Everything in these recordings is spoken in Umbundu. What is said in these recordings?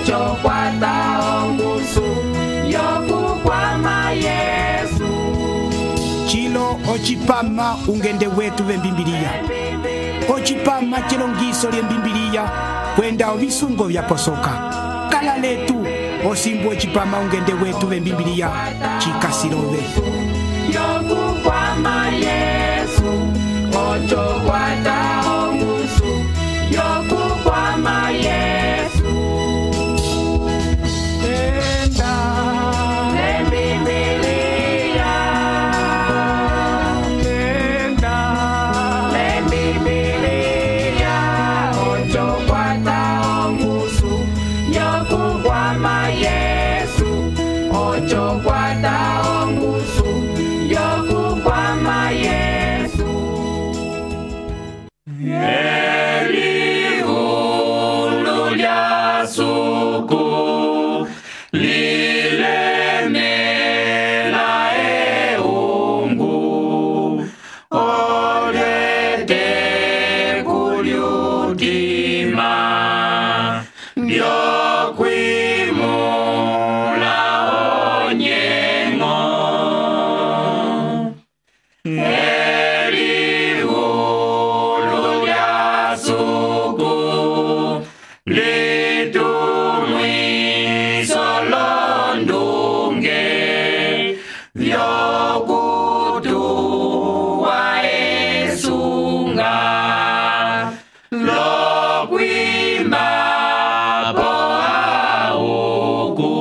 ocho kwata ongusu yokukwama Yesu. Chilo ochipama ungende wetu vembimbiliya. Ochipama chilongiso lyembimbiliya kwenda ovisungo vyaposoka. Kala letu osimbu ochipama ungende wetu vembimbiliya chikasilove. Yokukwama Yesu, ocho kwata ongusu yokukwama Yesu. Tenda lembimbiliya, tenda lembimbiliya, ocho kwata ongusu yokukwama Yesu, ocho kwata ongusu yokukwama Yesu. Elihulu lya suku lilemela eungu olete kulyutima byokwimula onyengo. Elihulu lya suku litumwiso londunge vyokutuwa esunga lokwimba po auku.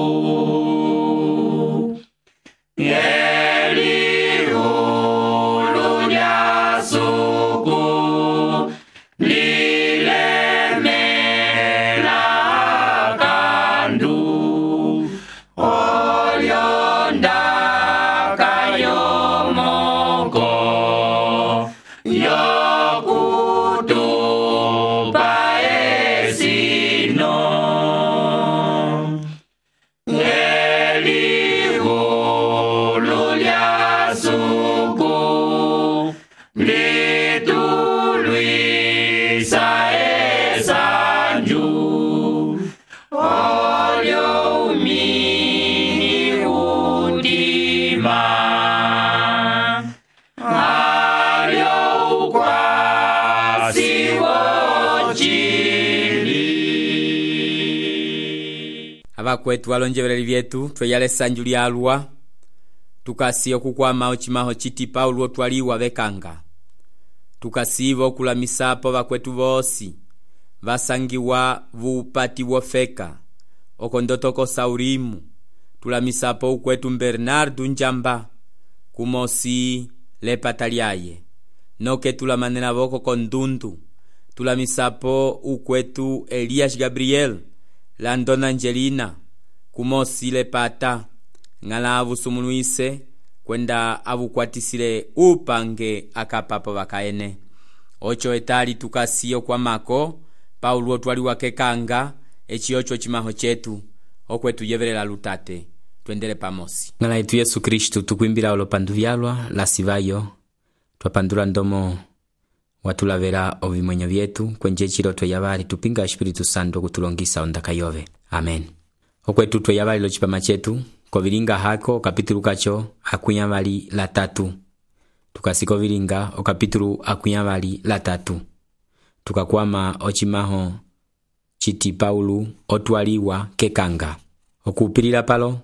Elihulu lya suku lilemela kandu olyonda kayomoko yokutupa esino. Elihulu lya suku litulwisa esanju olyo umini udima alyo ukwasi wochili. Abakwetu balonjebereri byetu tweyale sanju lyalwa tukasiya okukwama ochimaho chiti Paulo otwaliwa bekanga. Tukasiba okulamisapo bakwetu bosi basangiwa vupati wofeka okondotoko Saurimu. Tulamisapo ukwetu Bernardo Njamba kumosi lepata lyaye noke tulamanena boko kondundu. Tulamisapo ukwetu Elias Gabriel Landona Angelina kumosi lepata ngala avusumunuise kwenda avukwatisile upange akapapo bakaene. Ocho etali tukasiyo kwa mako Paulo twaliwa kekanga echiocho chimaho chetu okwetu yeverela lutate twendele pamosi. Ngala yetu Yesu Kristu tukwimbira olopandu vyalwa la sivayo twapandula ndomo watulavera ovimwenyo vyetu kwenje chiroto yabali tupinga Espiritu Santo kutulongisa ondaka yove. Amen. Okwetu tweyabali lo chipama chetu kovilinga hako kapitulu kacho akunyavali la 3. Tukasiko vilinga okapitulu akunyavali la 3. Tukakwama ochimaho chiti Paulo otwaliwa kekanga. Okupilila palo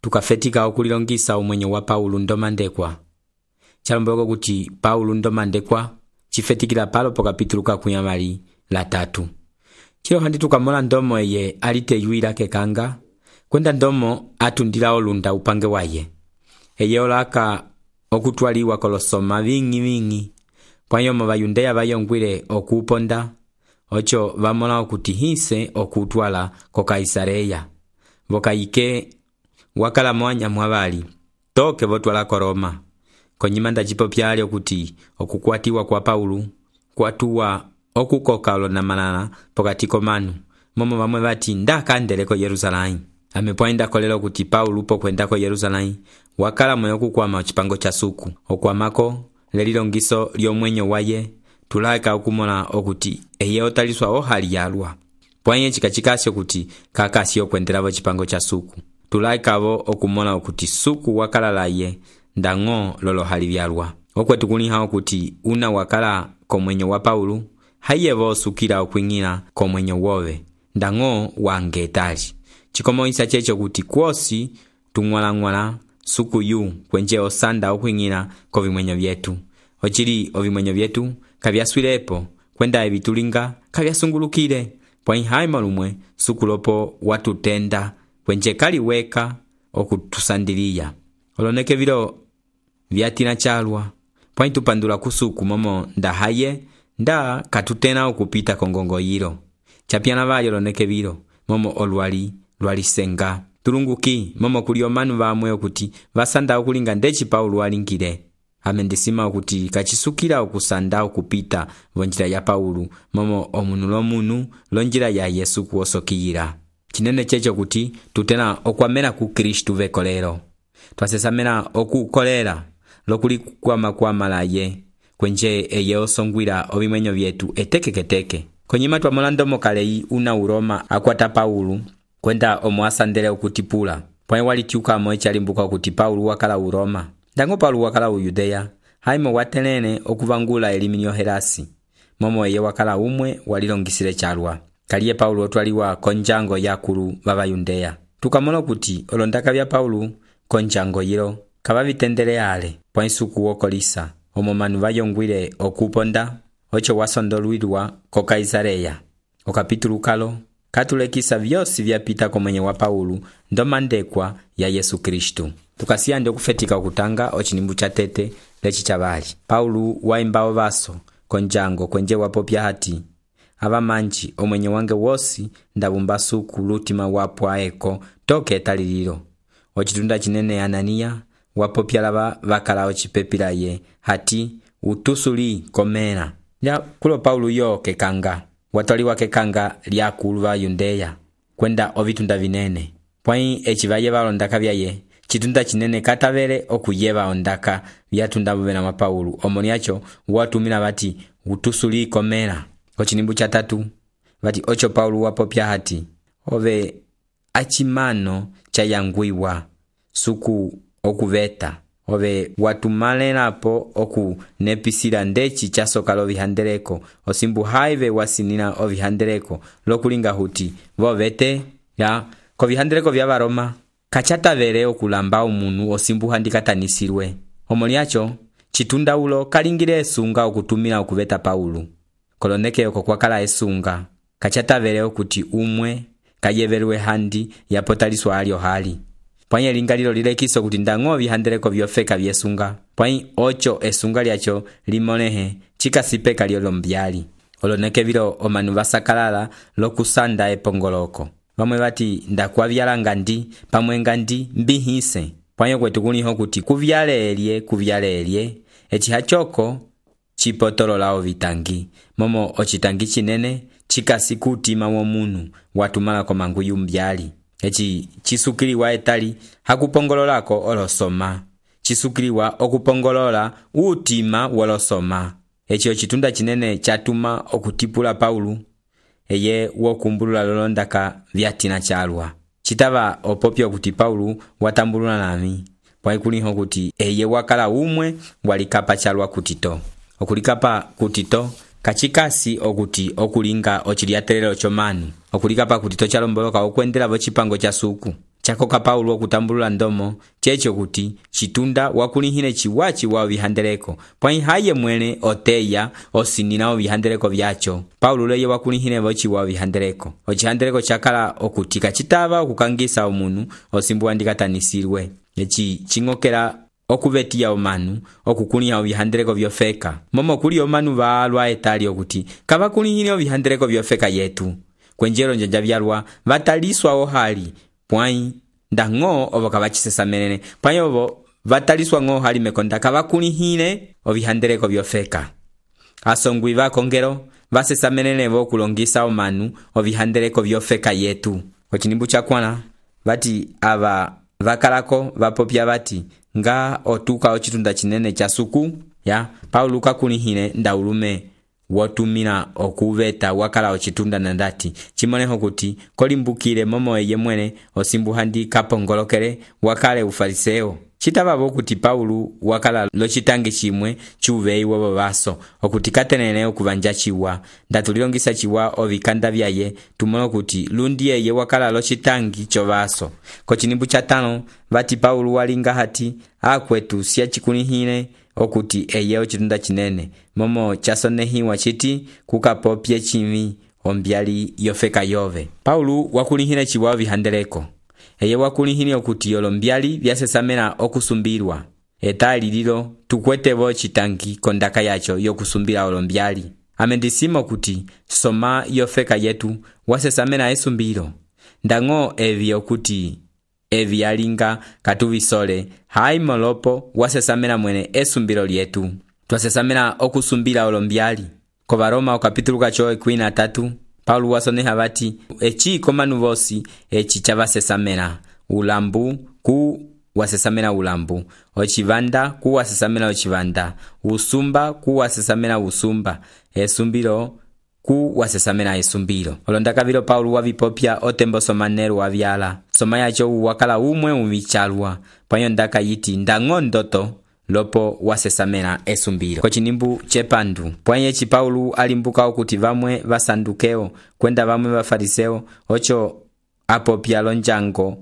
tukafetika okulilongisa umwenyo wa Paulo ndomandekwa. Chalombogo kuti Paulo ndomandekwa chifetikila palo po kapitulu kakunyavali la 3. Chilo handi tukamola ndomo eye aliteyuila kekanga kwenda ndomo atundila olunda upange waye. Eye olaka okutwaliwa kolosoma vingi pwanyomo bayundeya bayongwile okuponda ocho bamola okuti hise okutwala ko Kaisareya. Vokayike wakala mwanya mwabali toke votwala ko Roma. Konyimanda jipo pyali okuti okukwatiwa kwa Paulo kwatuwa okukoka olonamanana pokati komanu momo bamwe bati ndakandele ko Yerusalemu. Amepwainda kolelo kuti Paulo upo kwenda ko Yerusalemu wakala moyo kukwama ochipango cha suku okwamako lelilongiso lyomwenyo waye tulaka okumola okuti eye otaliswa ohali yalwa. pwaye chikachikasi okuti kakasi okwendelavo chipango cha suku. Tulaikavo okumona okuti suku wakalalaye ndang'o lolohali vyalwa. Okwetu kuliha okuti una wakala komwenyo wa Paulo, hayevo osukila okwing'ila komwenyo wove ndang'o wangetali. Chikomoisa checho kuti kwosi tung'wala suku yu kwenje osanda okwing'ila kovimwenyo vyetu. Ochili ovimwenyo vyetu kavyaswilepo kwenda ebitulinga kavyasungulukile. Pwayi haima lumwe suku lopo watutenda kwenje kaliweka okutusandiliya. Oloneke vilo vyatina chalwa. Pwayi tupandula kusuku momo ndahaye nda katutena okupita kongongo yilo. Chapiana vayo loneke vilo momo olwali lwalisenga. Tulunguki momo kuli omanu vamwe okuti vasanda okulinga ndechi Paulo walingile. Amendisima okuti kachisukila okusanda okupita vonjila ya Paulo momo omunu lomunu lonjila ya Yesu kuosokiyila. Chinene checho kuti tutena okwamela ku Kristu vekolero. Twasesamela okukolera lokuli kwamalaye kwenje eye osongwila ovimwenyo vyetu etekeketeke. Konyima twamolandomo kalei una Uroma akwata Paulo kwenda omwasandele okutipula. Pwaye walitiuka moechalimbuka okuti Paulo wakala Uroma. Ndango Paulo wakala Uyudeya, haimo watelene okuvangula eliminio Helasi. Momo eye wakala umwe walilongisile chalwa. Kaliye Paulo otwaliwa konjango yakulu vavayundeya. Tukamona kuti olondaka vya Paulo konjango yilo kavavitendele ale pwa isuku wokolisa. Omomanu vayongwile okuponda ocho wasondolwilwa ko Kaisareya. Okapitulu kalo katulekisa vyosi vyapita komwenye wa Paulo ndomandekwa ya Yesu Kristu. Tukasiya ndi okufetika okutanga ochinimbu cha tete lechi chavali. Paulo waimbao vaso konjango kwenje wapopya hati avamanji omwenye wange wosi ndabumba suku lutima wapwa eko toke etalililo. Ochitunda chinene Anania wapopya lava vakala ochipepila ye hati utusuli komena. Ya kulo Paulo yo kekanga. Watoliwa kekanga lyakulu va Yundeya kwenda ovitunda vinene. Pwayi echivaye valondaka vyaye chitunda chinene katavele okuyeva ondaka vyatunda vuvena mwa Paulo. Omoniacho watumila vati utusuli komena. Ochinimbu cha tatu vati ocho Paulo wapopya hati ove achimano cha yangwiwa suku okuveta. Ove watumalelapo oku nepisila ndechi chasoka lovihandeleko osimbu haive wasinina ovihandeleko lokulinga huti vovete ya kovihandeleko vya Varoma kachatavele okulamba umunu osimbu handikatanisirwe. Omoniacho chitunda ulo kalingile esunga okutumila okuveta Paulo. Koloneke oko kwakala esunga kachatavele okuti umwe kayevelwe handi yapotaliswa alio hali. Pwayi lingalilo lilekiso kuti ndang'o vihandeleko vyofeka vyesunga. Pwayi ocho esunga lyacho limonehe chikasipeka lyolo mbyali. Oloneke vilo omanu vasakalala lokusanda epongoloko. Vamwe vati ndakwavyalanga ndi pamwenga ndi mbihise. Pwayi kwetu kuliho kuti kuvyalelye echihachoko chipotolola ovitangi. Momo ochitangi chinene chikasi kutima womunu watumala komanguyu mbyali. Echi chisukiliwa etali hakupongololako olosoma. Chisukiliwa okupongolola utima wolosoma. Echi ochitunda chinene chatuma okutipula Paulo eye wokumbulula lolondaka vyatina chalwa. Chitava opopya okuti Paulo watambulula nami. Pwayi kuliho kuti eye wakala umwe walikapa chalwa kutito. Okulikapa kutito kachikasi okuti okulinga ochiliatelelo chomanu. Okulikapa kutito chalomboloka okwendela vochipango cha suku. Chakoka Paulo okutambulula ndomo checho kuti chitunda wakulihine chiwachi wa vihandeleko. Pwayi haye mwene oteya osinina ovihandeleko vyacho. Paulo leye wakulihine vochi wa vihandeleko. Ochihandeleko chakala okuti kachitava okukangisa omunu osimbu handikatanisirwe. Echi chingokela okuvetiya omanu okukuliha ovihandeleko vyofeka. Momo kuli omanu valwa etali okuti kavakulihine ovihandeleko vyofeka yetu. Kwenjelo njanja vyalwa vataliswa ohali. Pwayi ndang'o ovo kavachisesamelene. Pwayi ovo vataliswa ng'o hali mekonda kavakulihine ovihandeleko vyofeka. Asongwi vakongelo vasesamelene vokulongisa omanu ovihandeleko vyofeka yetu. Ochinimbu chakwana vati ava vakalako vapopya vati nga otuka ochitunda chinene cha suku ya Paulo kakulihine ndaulume wotumila okuveta wakala ocitunda nandati cimoleho kuti kolimbukile momo eye mwene osimbuhandi kapongolokele wakale ufariseo. Citavavo kuti Paulu wakala locitangi cimwe cuveyi wovo vaso okuti katenene okuvanja ciwa ndatulilongisa ciwa ovikanda vyaye tumolo kuti lundi eye wakala locitangi covaso. Kocinimbu ca 5 vati Paulu walinga hati akwetu siacikulihile okuti eye ocitunda cinene momo casonehiwa citi kukapopye cimi ombyali yofeka yove. Paulu wakulihile ciwa ovihandeleko eye wakulihile okuti olombyali vyasesamela okusumbilwa etali lilo tukwetevo citangi kondaka yaco yokusumbila olombyali. Amendisimo kuti soma yofeka yetu wasesamela esumbilo ndang'o evi okuti evi yalinga katuvisole hai molopo wasesamela mwene esumbilo lyetu twasesamela okusumbila olombyali. Ko Varoma okapitulu kaco 13 Paulu wasoneha vati eci komanu vosi eci cavasesamela ulambu ku wasesamela ulambu, ocivanda ku wasesamela ocivanda, usumba ku wasesamela usumba, esumbilo ku wasesamela esumbilo. Olondakavilo Paulu wavipopya otembo somanelu wavyala soma yaco wakala umwe umichalwa panyo ndaka yiti ndangondoto lopo wasesamela esumbilo. Kocinimbu cepandu pwanye ci Paulu alimbuka okuti vamwe vasandukeo kwenda vamwe vafariseo ocho apopya lonjango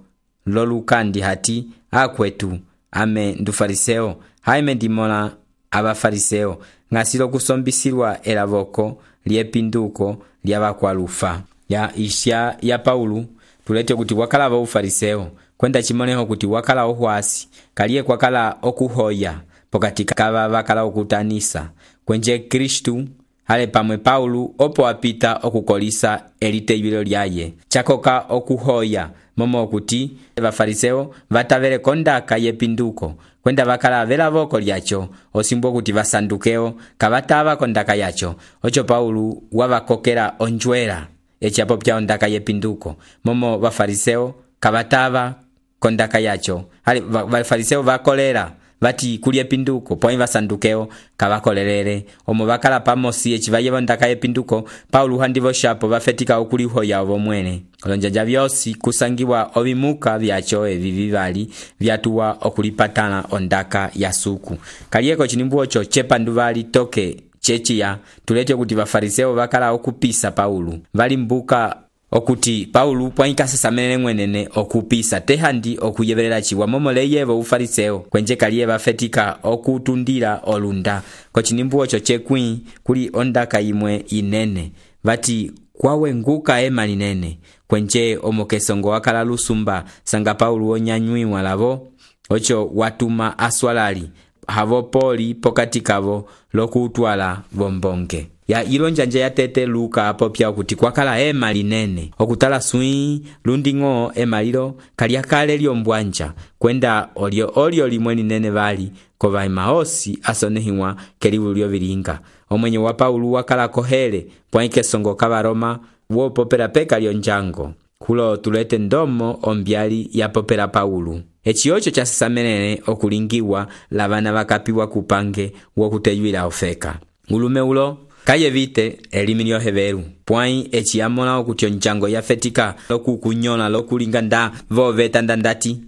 lolukandi hati akwetu ame ndufariseo haime ndimola abafariseo ngasilo kusombisilwa elavoko liepinduko lyavakwalufa ya isya ya Paulu tulete kuti wakala va ufariseo kwenda chimoneho kuti wakala ohwasi kaliye kwakala okuhoya pokati kava vakala okutanisa kwenje Kristu hale pamwe Paulu opo apita okukolisa eliteibilo lyaye chakoka okuhoya momo okuti vafariseo vatavele kondaka yepinduko kwenda vakala vela voko lyacho osimbo kuti vasandukeo kavatava kondaka yacho ocho Paulu wavakokela onjwela echapo pya ondaka yepinduko momo vafariseo kavatava kondaka yacho hali vafariseo vakolera vati kulie pinduko poi vasandukeo kavakolelele omo vakala pamosi echivaye ondaka yepinduko Paulu handivo shapo vafetika okulihoya ovo mwene olonjanja vyosi kusangiwa ovimuka vyacho evi vivali vyatuwa okulipatana ondaka ya suku kalieko cinimbu ocho chepandu vali toke chechiya tulete kuti vafariseo vakala okupisa Paulu valimbuka okuti Paulu pwaikasesamene mwenene okupisa tehandi okuyevelela chiwa momoleyevo ufariseo kwenje kaliye vafetika okutundila olunda kocinimbu ocho chekwi kuli ondaka imwe inene vati kwawe nguka ema linene kwenje omokesongo wakala lusumba sanga Paulu onyanywiwa lavo ocho watuma aswalali havo poli pokati kavo lokutwala bombonge ya ilonjanja ya tete Luka apopya okuti kwakala ema linene okutala sui lundingo ema lilo kaliakale lyombwanja kwenda olio limwe linene vali kova emaosi asonehiwa kelivu lyovilinga omwenye wa Paulu wakala kohele pwaike songo kavaroma wopopera peka lyonjango kulo tulete ndomo ombyali ya popera Paulu echiocho chasesamene okulingiwa lavana vakapiwa kupange wokuteyuila ofeka ulume ulo kaye vite elimi lyoheveru pwai echiamola okuti onjango yafetika lokukunyola lokulinga nda voveta ndandati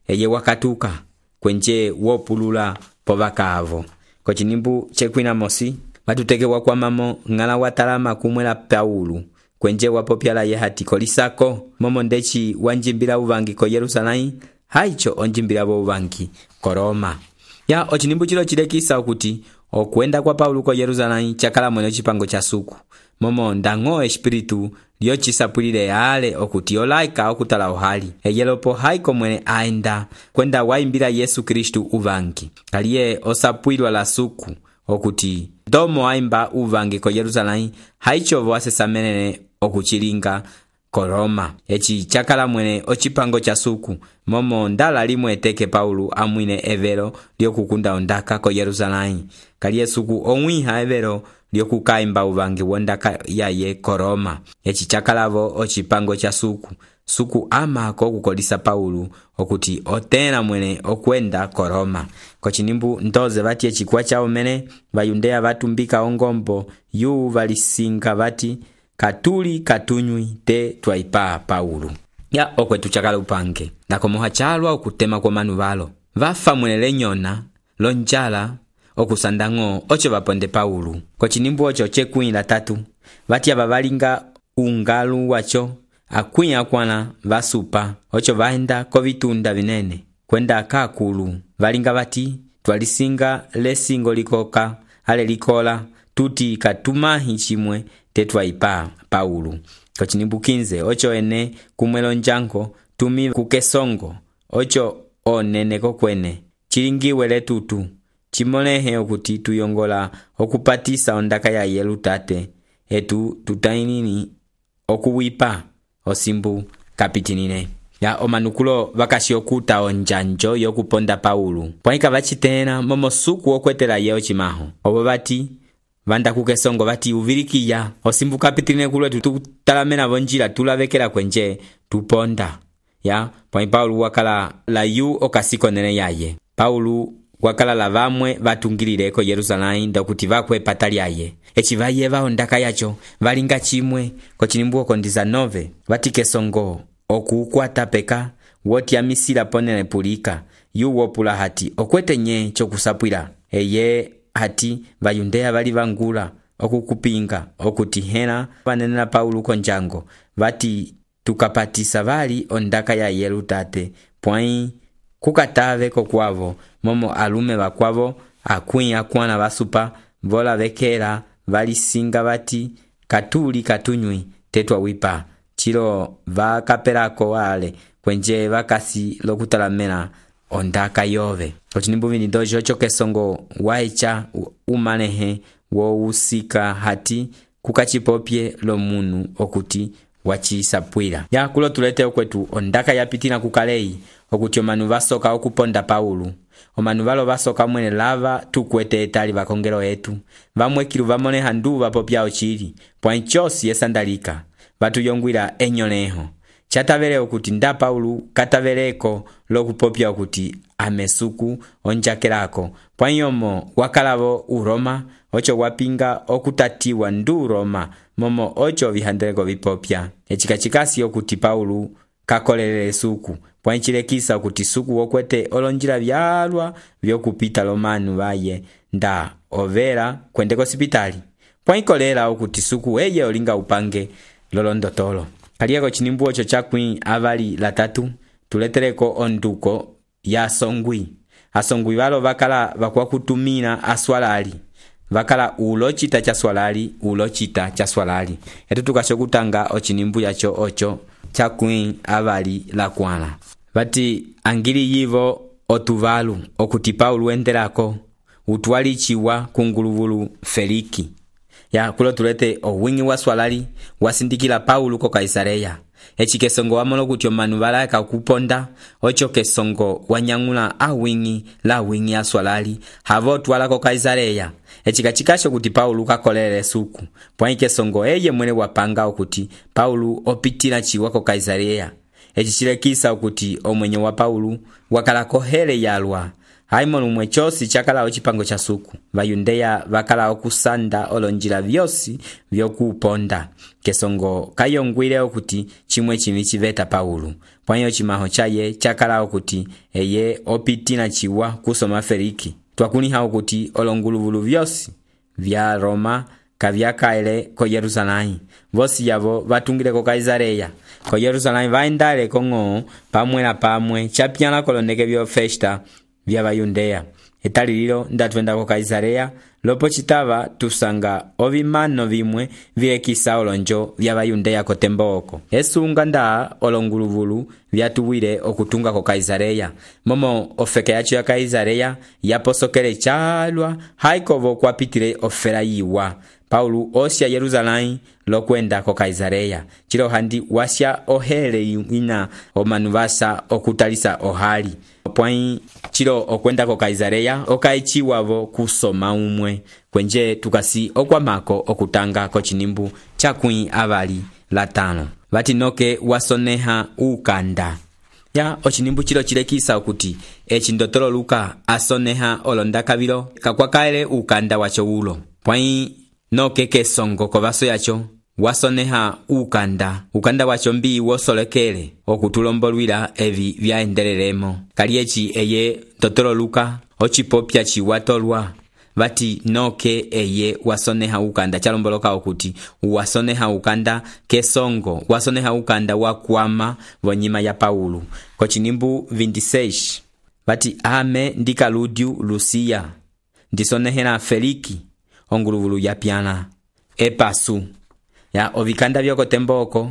eye wakatuka kwenje wopulula povakavo kocinimbu chekwina mosi vatutekewa kwa mamo ngala watalama kumwela Paulu kwenje wapopyala ye hati kolisako momo ndechi wanjimbila uvangi ko Yerusalemu haicho onjimbila bo uvangi ko Roma ya ocinimbu chilo chilekisa okuti okwenda kwa Paulu ko Yerusalemu chakala mwene chipango cha suku momo ndango espiritu lyocisapulile ale okuti olaika okutala ohali eyelopo haiko mwene aenda kwenda waimbila Yesu Kristu uvangi kaliye osapwilwa la suku okuti domo aimba uvangi ko Yerusalemu haicho vasesamene okuchilinga ko Roma echi chakala mwene ochipango cha suku momo ndala limwe eteke Paulu amwine evero lyokukunda ondaka ko Yerusalemu kaliye suku omwiha evero lyokukaimba uvangi wondaka yaye ko Roma echi chakalavo ochipango cha suku suku amako okukolisa Paulo okuti otena mwene okwenda ko Roma. Kochinimbu ndoze vati echikwa chao mene Vayundeya vatumbika ongombo yu valisinga vati katuli katunywi te twaipa Paulo. Ya okwetu chakala upange nakomoha chalwa okutema kwa manu valo vafa mwene nyona lonjala okusandango ocho vaponde Paulo. Kochinimbu ocho chekwila 3 vati abavalinga ungalu wacho akwinya kwana vasupa ocho vaenda kovitunda vinene kwenda kakulu valinga vati twalisinga lesingo likoka ale likola tuti katumahi chimwe tetwaipa Paulo. Kochinimbu 15 ocho ene kumwelo njango tumi kukesongo ocho onene kokwene chilingiwe letutu chimolehe okuti tuyongola okupatisa ondaka ya yelutate etu tutainini okuwipa osimbu kapitinine. Ya omanukulo vakashi okuta onjanjo yokuponda Paulo pwaika vachitena momosuku okwetela yeo chimaho obo vati vanda kukesongo vati uvilikiya osimbu kapitinine kulwe tutalamena vonjila tulavekela kwenje tuponda. Ya pwai Paulo wakala la yu okasiko nene yaye Paulo wakala la vamwe vatungilile ko Yerusalemu ndokuti vakwe patali yaye echivaye vaondaka yacho valinga chimwe. Kochinimbu okondiza 9 vatikesongo okukwata peka woti amisila ponele pulika yu wopula hati okwete nye chokusapwila eye hati Vayundeya vali vangula okukupinga okuti hena vanenela Paulo konjango vati tukapatisa vali ondaka ya yelutate pwai kukatave kokwavo momo alume vakwavo akwinya kwana vasupa vola vekela valisinga vati katuli katunywi tetwawipa chilo vakapelako wale kwenje vakasi lokutalamena ondaka yove. Kochinimbu 22 ocho kesongo waicha umanehe wo usika hati kukachipopye lo munu okuti wachisapwila. Ya kulo tulete okwetu ondaka yapitina kukalei okuti omanu vasoka okuponda Paulo. Omanu valo vasoka mwene lava tukwete etali vakongelo etu vamwekilu vamone handu vapopya ochili pwanchosi esandalika vatuyongwila enyoleho chatavele okuti nda Paulo kataveleko lokupopya okuti amesuku onjakelako pwanyomo wakalavo uroma ocho wapinga okutatiwa ndu Roma momo ocho vihandeleko vipopya echikachikasi okuti Paulo kakolele suku pwanchilekisa okuti suku wokwete olonjila vyalwa vyokupita lomanu vaye nda overa kwendeko sipitali pwankolela okuti suku eye olinga upange lolondotolo. Kaliako chinimbu ocho chakwi avali la 3 tuleteleko onduko ya asongwi valo vakala vakwakutumina aswalali vakala ulochita cha swalali etu tukashokutanga ochinimbu yacho ocho chakwi avali la kwana vati angili yivo otuvalu okuti Paulo endelako utwalichiwa kunguluvulu Feliki. Ya kulo tulete owingi wa swalali wasindikila Paulo ko Kaisareya echikesongo wamono kuti omanu valaka kuponda ocho kesongo wanyangula awingi la wingi aswalali havo twala ko Kaisareya echikachikasho kuti Paulo kakolele suku pwaikesongo eye mwene wapanga okuti Paulo opitila chiwa ko Kaisareya echichilekisa okuti omwenye wa Paulo wakala kohele yalwa haimonu mwechosi chakala ochipango cha suku Vayundeya vakala okusanda olonjila vyosi vyokuponda kesongo kayongwile okuti chimwe chimi chiveta Paulo pwanyo chimaho chaye chakala okuti eye opitina chiwa kusoma Feliki twakuniha okuti olonguluvulu vyosi vya Roma kavyakaele ko Yerusalemu vosi yavo vatungile ko Kaisareya ko Yerusalemu vaendale kongo pamwe chapyana koloneke vyo festa vya Vayundeya etalililo ndatwenda ko Kaisareya lopo chitava tusanga ovimano vimwe vilekisa olonjo vya Vayundeya ko temboko esunga nda olonguluvulu vyatuwile okutunga ko Kaisareya momo ofeke yacho ya Kaisareya yaposokele chalwa haikovo kwapitile ofera yiwa Paulo osya Yerusalemu lokwenda ko Kaisareya chilo handi wasya ohele ina omanu vasa okutalisa ohali pwai chilo okwenda ko Kaisareya okaichiwavo kusoma umwe kwenje tukasi okwamako okutanga ko chinimbu chakwi avali la 5 vati noke wasoneha ukanda. Ya ochinimbu chilo chilekisa okuti eci ndotolo Luka asoneha olondaka vilo kakwakaele ukanda wacho ulo. Pwai noke kesongo kovaso yacho wasoneha ukanda wacho mbi wosolekele okutulombolwila evi vyaendelelemo. Kali eci eye ndotolo Luka ochipopya chiwatolwa vati noke eye wasoneha ukanda chalomboloka okuti wasoneha ukanda kesongo, wasoneha ukanda wakwama vonyima ya Paulo. Kochinimbu 26 vati ame ndikaludiu Lusia ndisonehela Feliki onguluvulu ya pyana epasu. Ya ovikanda vyokotemboko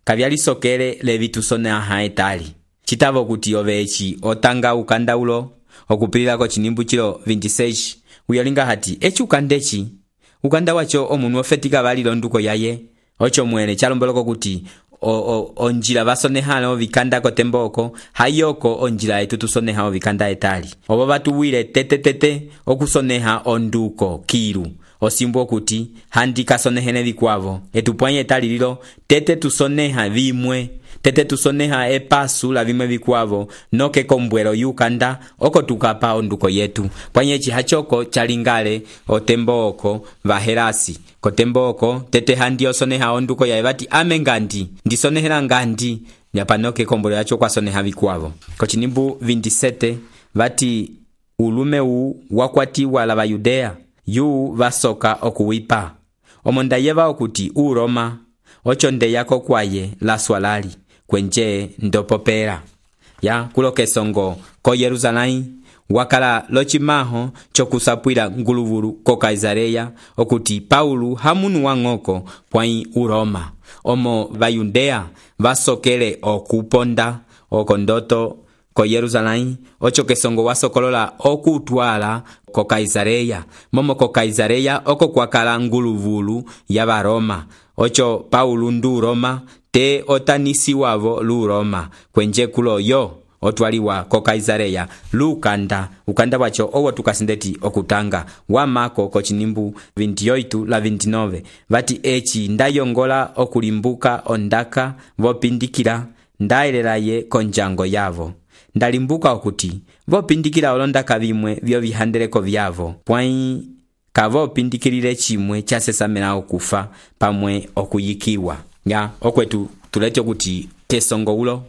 kavyalisokele levitusoneha etali chitavo kuti ovechi otanga ukanda ulo okupilila kochinimbu chilo 26 uyolinga hati eci ukanda wacho omunu ofetika valilo nduko yaye ocho mwene chalomboloko kuti onjila vasonehalo vikanda kotemboko hayoko onjila etu tusoneha vikanda etali obo batuwile tete okusoneha onduko kilu osimbo kuti handika sonehene vikwavo etupwanye etali lilo tete tusoneha vimwe tete tusoneha epasu la vimwe vikwavo noke kombwelo yukanda oko tukapa onduko yetu pwanye chihachoko chalingale otemboko vaherasi kotemboko tete handi osoneha onduko ya evati ame ngandi ndisonehela ngandi nyapanoke kombwelo yacho kwa soneha vikwavo. Kochinimbu 27 vati ulume wakwatiwa la Yudea yu vasoka okuwipa omonda yeva okuti Roma ocho ndeyako kwaye la swalali kwenje ndopopera. Ya kulokesongo ko Yerusalai wakala lochimaho chokusapwila nguluvulu ko Kaisareya okuti Paulo hamunu wang'oko pwai Roma omo Vayudea vasokele okuponda okondoto ko Yerusalai ocho kesongo wasokolola okutwala ko Kaisareya momo ko Kaisareya oko kwakala nguluvulu ya Roma ocho Paulo ndu Roma te otanisi wavo lu Roma kwenje kulo yo otwaliwa ko Kaisareya ukanda wacho owo tukasindeti okutanga wamako kochinimbu 28 la 29 vati eci ndayongola okulimbuka ondaka vopindikila ndaelelaye konjango yavo ndalimbuka okuti vopindikila olondaka vimwe vyo vihandeleko vyavo pwai kavopindikilile chimwe chasesamela okufa pamwe okuyikiwa. Ya okwetu tulete okuti kesongo ulo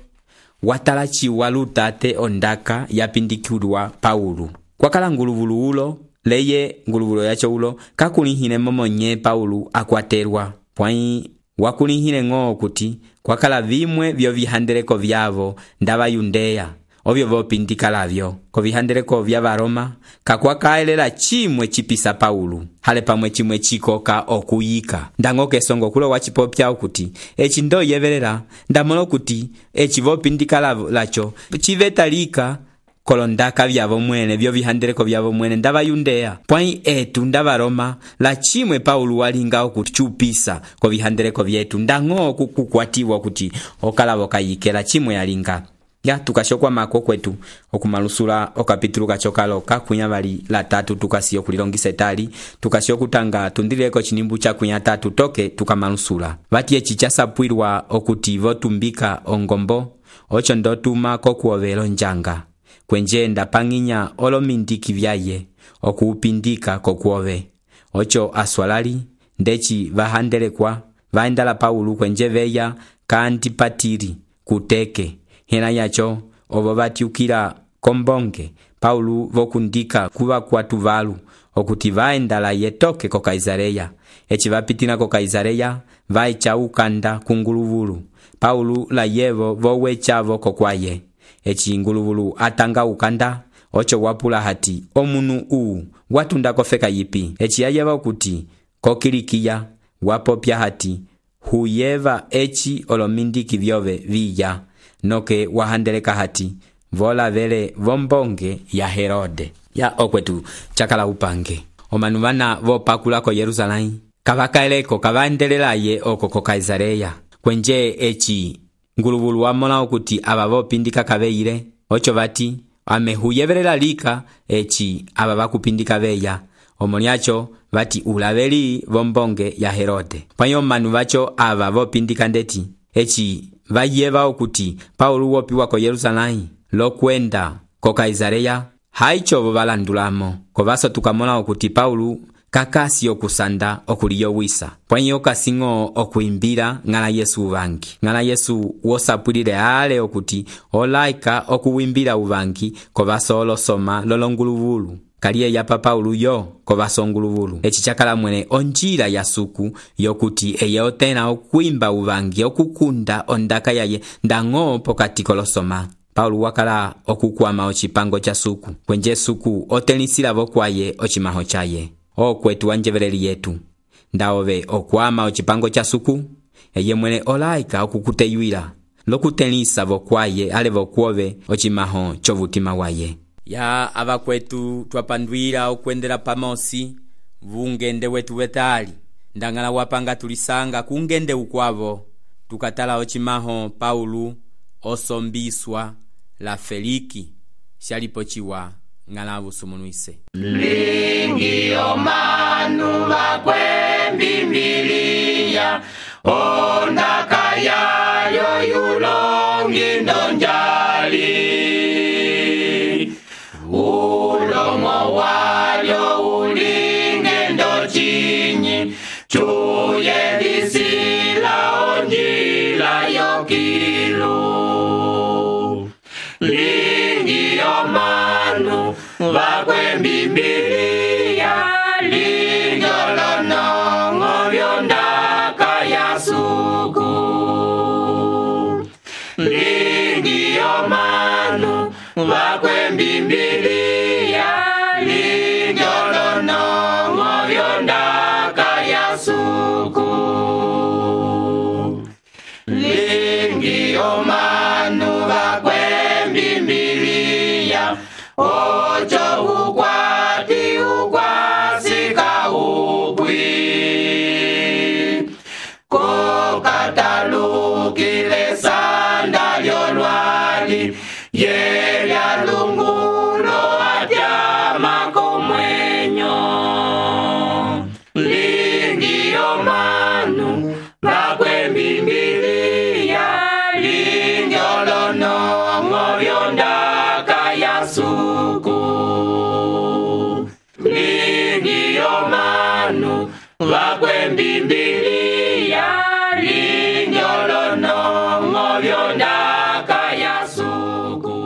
watala chiwa lutate ondaka yapindikilwa Paulo kwakala nguluvulu ulo leye nguluvulu yacho ulo kakulihile momonye Paulo akwaterwa pwai wakulihile ng'o okuti kwakala vimwe vyo vihandeleko vyavo ndavayundeya ovyo vopindikalavyo ko vihandeleko vya Varoma kakwakaelela chimwe chipisa Paulo hale pamwe chimwe chikoka okuyika ndango kesongo kulo wachipopya okuti eci ndo yevelela ndamolo kuti eci vopindikalacho chivetalika kolondaka vyavo mwene vyo vihandeleko vyavo mwene ndavayundeya pwai etu ndavaroma la chimwe Paulo walinga okuchupisa ko vihandeleko vyetu ndango kukwatiwa kuti okalavo kayikela chimwe yalinga. Ya tukashokwa mako kwetu okumalusula okapitulu kachokalo kakunya vali la 3 tukasiyo kulilongisa etali tukasiyo kutanga tundileko chinimbu cha kunya 3 toke tukamalusula vati eci chasapwilwa okuti votumbika ongombo ocho ndotuma kokuovelo njanga kwenje ndapanginya olomindiki vyaye okuupindika kokuove ocho aswalali ndeci vahandelekwa vaendala Paulo kwenje veya ka Antipatiri kuteke hena yacho ovo vatiukila kombonge Paulo vokundika kuva kwatu valu okuti vaendala yetoke ko Kaisareya eci vapitina ko Kaisareya vaicha ukanda kunguluvulu Paulo la yevo vowechavo kokwaye eci nguluvulu atanga ukanda ocho wapula hati omunu watunda kofeka yipi eci yayeva okuti kokilikiya wapopya hati huyeva eci olomindiki vyove viya noke wahandeleka hati vola vele vombonge ya Herode. Ya okwetu chakala upange omanu vana vopakula ko Yerusalai kavakaeleko kavaendelelaye oko ko Kaisareya kwenje eci nguluvulu wamola okuti aba vopindika kaveile ocho vati amehuyevelela lika eci aba vakupindika veya omoniacho vati ulaveli vombonge ya Herode pwanyo manu vacho aba vopindika ndeti eci vayeva okuti Paulo wopiwa ko Yerusalém lokwenda ko Kaisareya haicovo valandulamo kovaso tukamona okuti Paulo kakasi okusanda okuliyowisa pwanyi okasiŋo okuimbila ng'ala Yesu uvangi ng'ala Yesu wosapwilile ale okuti olaika okuwimbila uvangi kovaso olosoma lolonguluvulu kaliye yapa Paulo yo kovaso nguluvulu eci cakala mwene onjila ya suku yokuti eye otena okuimba uvangi okukunda ondaka yaye ndaŋo pokati kolosoma. Paulo wakala okukwama ocipango ca suku kwenje suku otelisilavo kwaye ocimaho caye. Okwetu wanjeveleli yetu ndaove okwama ocipango ca suku eye mwene olaika okukuteyuila lokutelisa vokwaye ale vokwove ocimaho covutima waye. Ya avakwetu twapandwila okwendela pamosi vungende wetu wetali ndangala wapanga tulisanga kungende ukwavo tukatala ocimaho Paulo osombiswa la Feliki shalipochiwa ng'ala vusumunwise lingi omanu vakwembimbiliya ondaka yayo yulongi ndonjali ulomo walyo ulinge ndochinyi cuyelisila onjila yokilu lingi omanu vakwembimbiliya linjolonongo vyondaka ya suku lingi omanu vakwembimbiliya linjolonongo vyondaka ya suku lingi omanu vakwembimbiliya ocho ukwati ukwasika upwi kokatalukile sanda lyolwali yelya lungulo atyama komwenyo lingi omanu vakwembimbiliya linjolonongo vyondaka ya suku lingi omanu vakwembimbiliya linjolonongo vyondaka ya suku.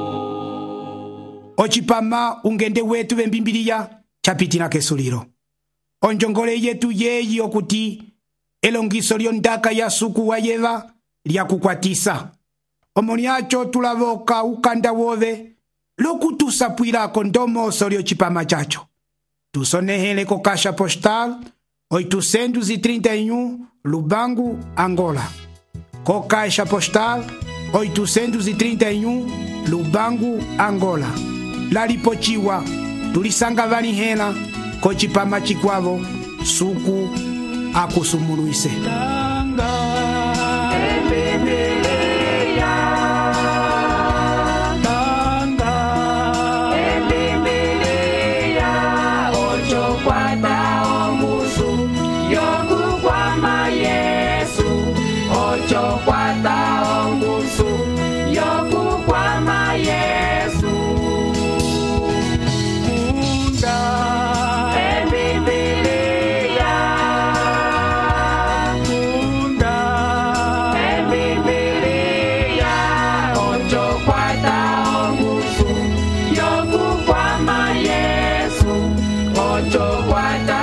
Ocipama ungende wetu vembimbiliya capitina kesulilo onjongole yetu yeyi okuti elongiso lyondaka ya suku wayeva lyakukwatisa omoni aco tulavoka ukanda wove lokutusapwilako ndomoso lyocipama caco tusonehele ko caixa postal 831 Lubangu, Angola. Co caixa postal 831 Lubangu, Angola. Lalipochiwa tulisanga vanihela ko cipama cikwavo suku akusumuluise. Ocho guata